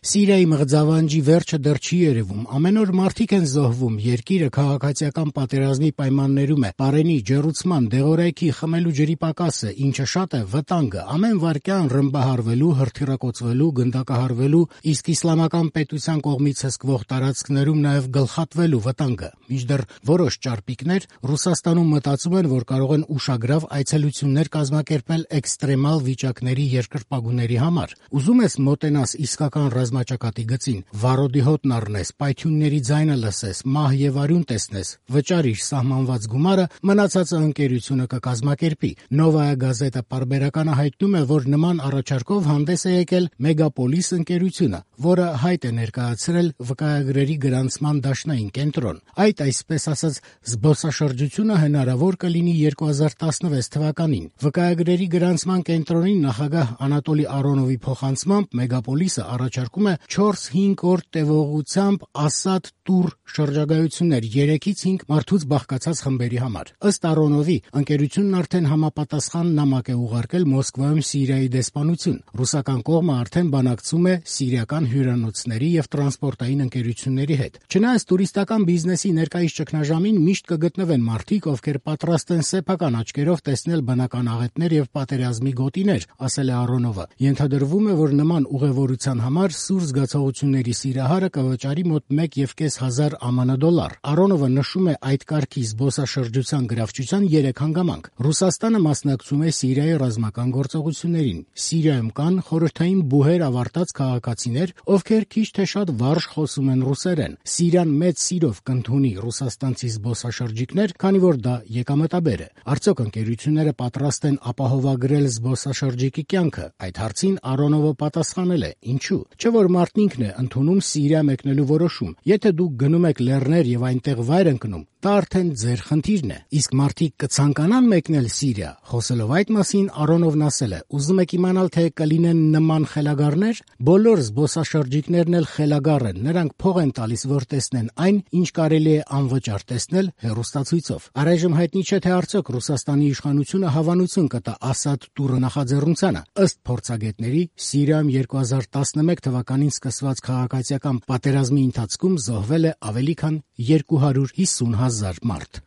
Սիրիայի մղձավանջի վերջը դեռ չի երևում, ամեն օր մարդիկ են զոհվում, երկիրը քաղաքացիական պատերազմի պայմաններում է, պարենի, ջեռուցման, դեղորայքի, խմելու ջրի պակասը, ինչը շատ է, վտանգը, ամեն վայրկյան ռմբահարվելու, հրթիռակոծվելու, գնդակահարվելու, իսկ իսլամական պետության կողմից հսկվող տարածքներում նաև գլխատվելու վտանգը, մինչդեռ որոշ ճարպիկներ Ռուսաստանում մտածում են, որ կարող են ուշագրավ այցելություններ կազմակերպել էքստրեմալ վիճակների երկրպագուների համար։ Ուզում ես մոտենաս իսկական ռազմաճակատի գծին, վառոդի հոտն առնես, պայթյունների ձայնը լսես, մահ եւ արյուն տեսնես, վճարիր սահմանված գումարը, մնացածը ընկերությունը կկազմակերպի։ Նովայա գազետը պարբերականը հայտնում է, որ նման առաջարկով հանդես է եկել Մեգապոլիս ընկերությունը, որը հայտ է ներկայացրել վկայագրերի գրանցման դաշնային կենտրոն։ Այդ այսպես ասած զբոսաշրջությունը հնարավոր կլինի 2016 թվականին։ Վկայագրերի գրանցման կենտրոնի նախագահ Անատոլի Արոնովի փոխանցմամբ Մեգապոլիսը առաջարկում է 4-5 օր տևողությամբ Ասադ Տուր շրջագայություններ 3-ից 5 մարդուց բաղկացած խմբերի համար։ Ըստ Արոնովի, ընկերությունն արդեն համապատասխան նամակ է ուղարկել Մոսկվայում Սիրիայի դեսպանություն։ Ռուսական կողմը արդեն բանակցում է սիրիական հյուրանոցների եւ տրանսպորտային ընկերությունների հետ։ Չնայած տուրիստական բիզնեսի ներկայիս ճգնաժամին միշտ կգտնվեն մարդիկ, ովքեր պատրաստ են սեփական աչքերով տեսնել բնական աղետներ եւ պատերազմի գոտիներ, ասել է Արոնովը։ Ենթադրվում է, որ նման ուղևորության համար սուր զգացողությունների սիրահարը կվճարի մոտ 1,5 ԱՄՆ դոլար։ Արոնովը նշում է այդ կարգի զբոսաշրջության գրավչության 3 հանգամանք։ Ռուսաստանը մասնակցում է Սիրիայի ռազմական գործողություններին։ Սիրիայում կան խորհրդային բուհեր ավարտած քաղաքացիներ, ովքեր քիչ թե շատ վարժ խոսում են ռուսերեն։ Սիրիան մեծ սիրով կընդունի ռուսաստանցի զբոսաշրջիկներ, քանի որ դա եկամտաբեր է։ Արդյոք ընկերությունները պատրաստ են ապահովագրել զբոսաշրջիկի կյանքը։ Այդ հարցին Արոնովը պատասխանել է. ինչու՞։ Չէ՞ որ մարդն ինքն է ընդունում Սիրիա մեկնելու որոշում։ Եթե դուք գնում եք լեռներ եւ այնտեղ վայր ընկնում, դա արդեն ձեր խնդիրն է։ Իսկ մարդիկ կցանկանան մեկնել Սիրիա։ Խոսելով այդ մասին, Արոնովն ասել է. ուզում եք իմանալ, թե կլինեն նման խելագարներ։ Բոլոր զբոսաշրջիկներն էլ խելագար են։ Նրանք փող են տալիս, որ տեսնեն այն, ինչ կարելի է անվճար տեսնել հեռուստացույցով։ Առայժմ հայտնի չէ, թե արդյոք Ռուսաստանի իշխանությունը հավանություն կտա Ասադ Տուրը նախաձեռնությանը։ Ըստ փորձագետների, Սիրիայում 2011 թվականին սկսված քաղաքացիական պատերազմի ընթացքում զոհվել է ավելի քան 250,000 մարդ։